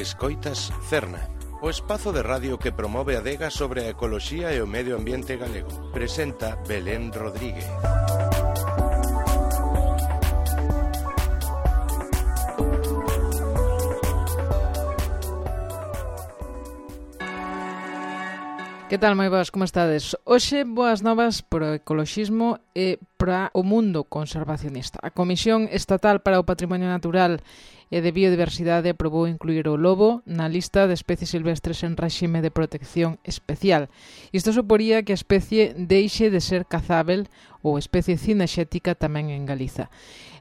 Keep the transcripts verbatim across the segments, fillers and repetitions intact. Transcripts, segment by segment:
Escoitas Cerna, o espazo de radio que promove a adega sobre a ecoloxía e o medio ambiente galego. Presenta Belén Rodríguez. Que tal, moi boas, como estades? Hoxe, boas novas para o ecoloxismo e para o mundo conservacionista. A Comisión Estatal para o Patrimonio Natural e de Biodiversidade aprobou incluir o lobo na lista de especies silvestres en réxime de protección especial. Isto suporía que a especie deixe de ser cazável ou especie cinexética tamén en Galiza.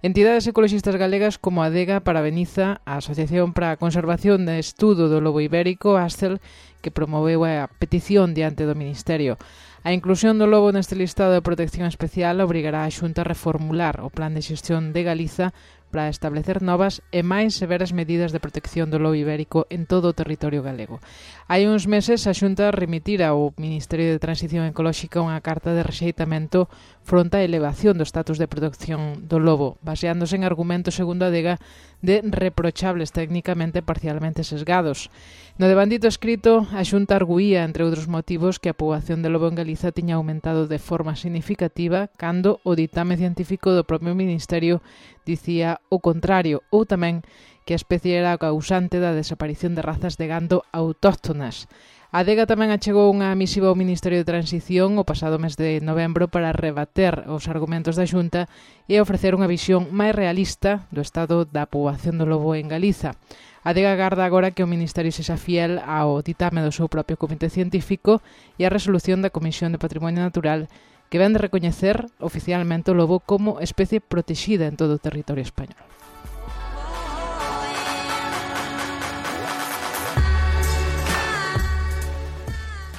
Entidades ecoloxistas galegas como a Adega Parabeniza a Asociación para a Conservación e Estudo do Lobo Ibérico, ASTEL, que promoveu a petición diante do Ministerio. A inclusión do lobo neste listado de protección especial obrigará a Xunta a reformular o Plan de Xestión de Galiza para establecer novas e máis severas medidas de protección do lobo ibérico en todo o territorio galego. Hai uns meses a Xunta remitira ao Ministerio de Transición Ecolóxica unha carta de rexeitamento fronte á elevación do estatus de protección do lobo, baseándose en argumentos, segundo a Adega, de reprochables técnicamente parcialmente sesgados. No devandito escrito, a Xunta arguía, entre outros motivos, que a poboación de lobo en Galiza tiña aumentado de forma significativa cando o ditame científico do propio Ministerio dicía o contrario, ou tamén que a especie era a causante da desaparición de razas de gando autóctonas. A Adega tamén achegou unha misiva ao Ministerio de Transición o pasado mes de novembro para rebater os argumentos da Xunta e ofrecer unha visión máis realista do estado da poboación do lobo en Galiza. A Adega agarda agora que o Ministerio sexa fiel ao ditame do seu propio comité científico e a resolución da Comisión de Patrimonio Natural que ven de recoñecer oficialmente o lobo como especie protexida en todo o territorio español.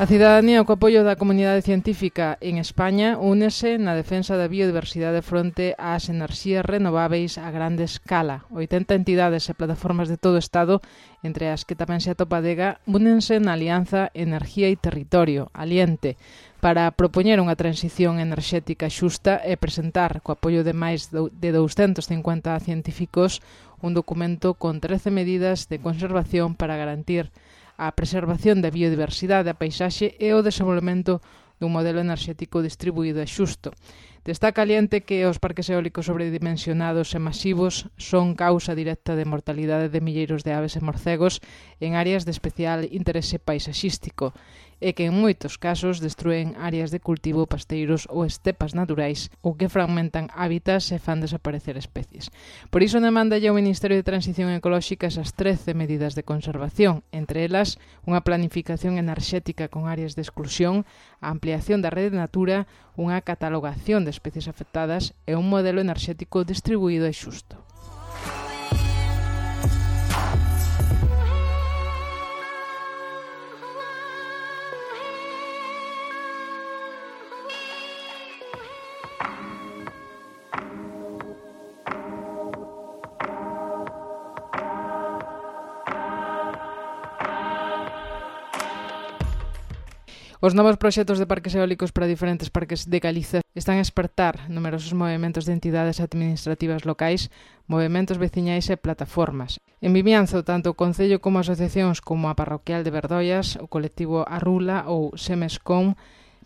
A cidadanía, co apoio da comunidade científica en España, únese na defensa da biodiversidade fronte ás enerxías renováveis a grande escala. oitenta entidades e plataformas de todo o Estado, entre as que tamén se atopa a Adega, únense na Alianza Energía e Territorio, Aliente, para propoñer unha transición enerxética xusta e presentar, co apoio de máis de douscentos cincuenta científicos, un documento con trece medidas de conservación para garantir a preservación da biodiversidade, a paisaxe e o desenvolvemento dun modelo enerxético distribuído e xusto. Destaca Aliente que os parques eólicos sobredimensionados e masivos son causa directa de mortalidade de milleiros de aves e morcegos en áreas de especial interese paisaxístico e que en moitos casos destruen áreas de cultivo, pasteiros ou estepas naturais ou que fragmentan hábitats e fan desaparecer especies. Por iso demanda ya o Ministerio de Transición Ecolóxica esas trece medidas de conservación, entre elas unha planificación enerxética con áreas de exclusión, a ampliación da rede de natura, unha catalogación de especies afectadas e un modelo enerxético distribuído e xusto. Os novos proxectos de parques eólicos para diferentes parques de Galiza están a espertar numerosos movementos de entidades administrativas locais, movementos veciñais e plataformas. En Vimianzo, tanto o Concello como asociacións como a Parroquial de Verdoias, o colectivo Arrula ou Semescom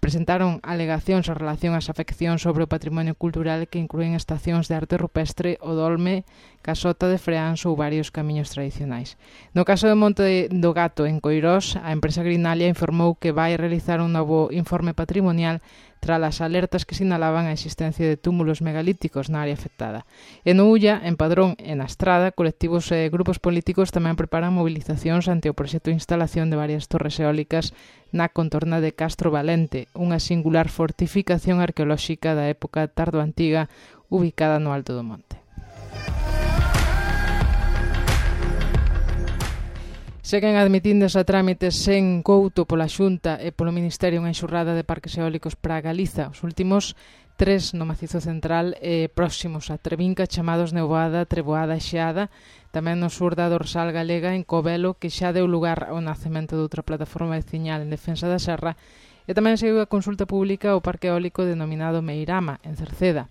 presentaron alegacións en relación ás afeccións sobre o patrimonio cultural que inclúen estacións de arte rupestre, o Dolme, Casota de Freáns ou varios camiños tradicionais. No caso de Monte do Gato, en Coirós, a empresa Grinalia informou que vai realizar un novo informe patrimonial tras as alertas que sinalaban a existencia de túmulos megalíticos na área afectada. E no Ulla, en Padrón e na Estrada, colectivos e grupos políticos tamén preparan movilizacións ante o proxecto de instalación de varias torres eólicas na contorna de Castro Valente, unha singular fortificación arqueolóxica da época tardoantiga ubicada no alto do monte. Seguen admitindes a trámites sen couto pola Xunta e polo Ministerio unha enxurrada de parques eólicos para Galiza. Os últimos tres no Macizo Central e próximos a Trevinca, chamados Nevoada, Treboada e Xeada, tamén no sur da dorsal galega en Covelo, que xa deu lugar ao nacemento de outra plataforma veciñal en defensa da serra, e tamén seguiu a consulta pública ao parque eólico denominado Meirama, en Cerceda.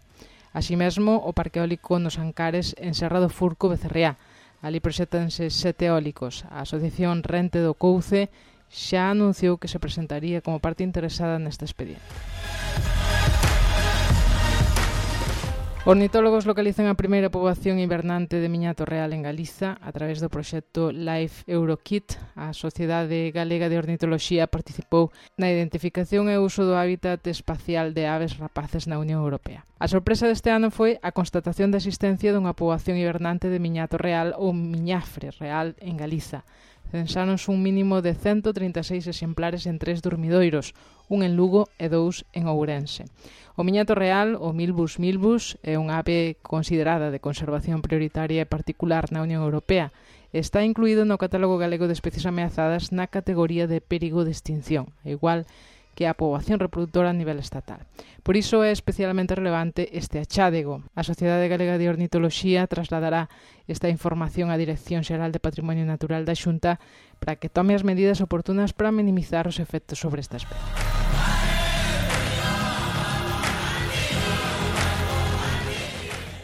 Así mesmo, o parque eólico nos Ancares en Serra do Furco, Becerreá. Ali proxétanse sete eólicos. A Asociación Rente do Couce xa anunciou que se presentaría como parte interesada neste expediente. Ornitólogos localizan a primeira poboación hibernante de miñato real en Galiza a través do proxecto Life Eurokit. A Sociedade Galega de Ornitoloxía participou na identificación e uso do hábitat espacial de aves rapaces na Unión Europea. A sorpresa deste ano foi a constatación da existencia dunha poboación hibernante de miñato real ou miñafre real en Galiza. Censáronse un mínimo de ciento trinta e seis exemplares en tres dormidoiros, un en Lugo e dous en Ourense. O miñato real, o Milbus milbus, é unha ave considerada de conservación prioritaria e particular na Unión Europea. Está incluído no Catálogo Galego de Especies Ameazadas na categoría de perigo de extinción, igual que a poboación reproductora a nivel estatal. Por iso é especialmente relevante este achádego. A Sociedade Galega de Ornitoloxía trasladará esta información á Dirección Xeral de Patrimonio Natural da Xunta para que tome as medidas oportunas para minimizar os efectos sobre esta especie.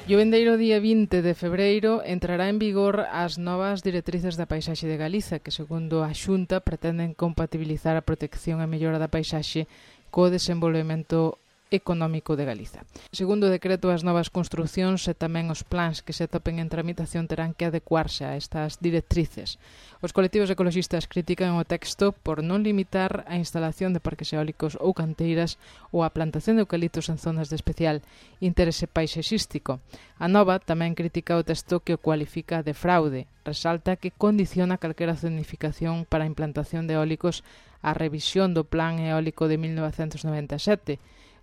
E o vindeiro día vinte de febreiro entrará en vigor as novas directrices da paisaxe de Galiza, que, segundo a Xunta, pretenden compatibilizar a protección e mellora da paisaxe co desenvolvemento económico de Galiza. Segundo o decreto, as novas construcións e tamén os plans que se topen en tramitación terán que adecuarse a estas directrices. Os colectivos ecoloxistas critican o texto por non limitar a instalación de parques eólicos ou canteiras ou a plantación de eucaliptos en zonas de especial interese paisaxístico. A Nova tamén critica o texto que o cualifica de fraude. Resalta que condiciona calquera zonificación para a implantación de eólicos á revisión do Plan Eólico de mil novecentos noventa e sete,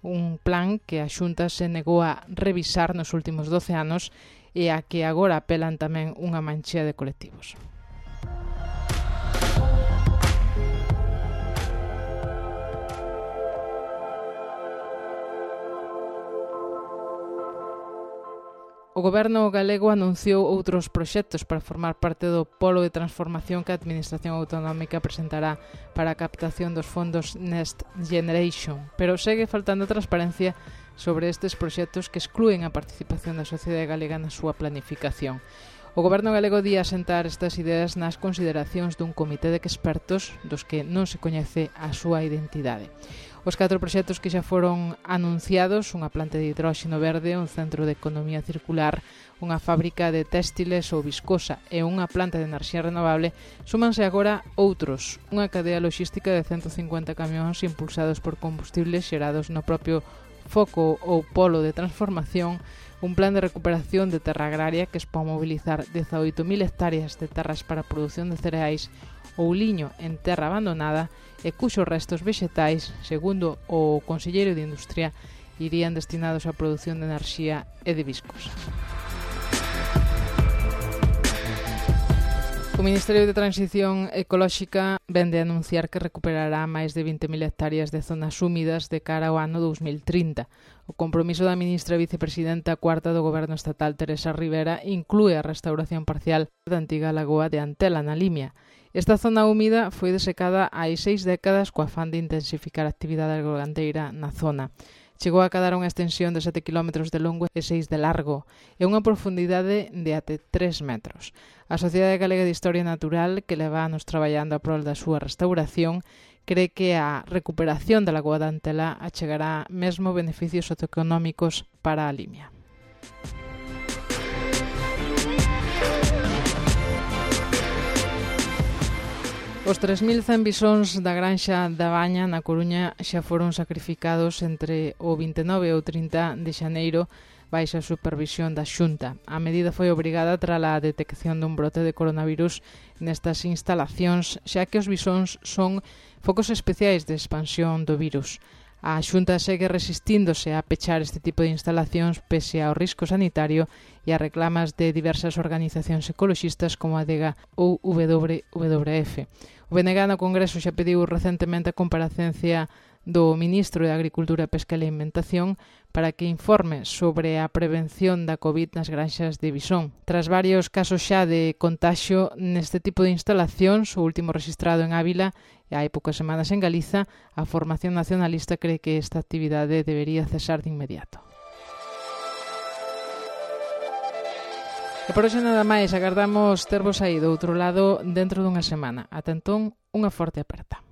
un plan que a Xunta se negou a revisar nos últimos doce anos e a que agora apelan tamén unha manchea de colectivos. O Goberno galego anunciou outros proxectos para formar parte do polo de transformación que a Administración Autonómica presentará para a captación dos fondos Next Generation, pero segue faltando transparencia sobre estes proxectos que exclúen a participación da sociedade galega na súa planificación. O Goberno galego di asentar estas ideas nas consideracións dun comité de expertos dos que non se coñece a súa identidade. Os catro proxectos que xa foron anunciados, unha planta de hidróxeno verde, un centro de economía circular, unha fábrica de téxtiles ou viscosa e unha planta de enerxía renovable, súmanse agora outros, unha cadea logística de ciento cincuenta camións impulsados por combustibles xerados no propio foco ou polo de transformación, un plan de recuperación de terra agraria que expón mobilizar dezaoito mil hectáreas de terras para a produción de cereais ou liño en terra abandonada e cuxos restos vexetais, segundo o Conselleiro de Industria, irían destinados á produción de enerxía e de viscosa. O Ministerio de Transición Ecolóxica vende a anunciar que recuperará máis de vinte mil hectáreas de zonas húmidas de cara ao ano dous mil trinta. O compromiso da ministra e vicepresidenta cuarta do Goberno Estatal, Teresa Rivera, inclúe a restauración parcial da antiga lagoa de Antela, na Limia. Esta zona húmida foi desecada hai seis décadas co afán de intensificar a actividade agrogandeira na zona. Chegou a cadar unha extensión de sete kilómetros de longo e seis de largo e unha profundidade de até tres metros. A Sociedade Galega de Historia Natural, que leva anos traballando a prol da súa restauración, cree que a recuperación da lagoa de Antela achegará mesmo beneficios socioeconómicos para a Limia. Os tres mil cen bisóns da granxa da Baña na Coruña xa foron sacrificados entre o vinte e nove e o trinta de xaneiro baixa a supervisión da Xunta. A medida foi obrigada tras a detección dun brote de coronavirus nestas instalacións, xa que os bisóns son focos especiais de expansión do virus. A Xunta segue resistíndose a pechar este tipo de instalacións pese ao risco sanitario e a reclamas de diversas organizacións ecoloxistas como a DEGA ou W W F. O B N G no Congreso xa pediu recentemente a comparecencia do Ministro de Agricultura, Pesca e Alimentación para que informe sobre a prevención da COVID nas granxas de bisón. Tras varios casos xa de contaxio neste tipo de instalacións, o último registrado en Ávila e hai poucas semanas en Galiza, a Formación Nacionalista cree que esta actividade debería cesar de inmediato. E por hoxe nada máis, agardamos tervos aí do outro lado dentro dunha semana. Ata entón, unha forte aperta.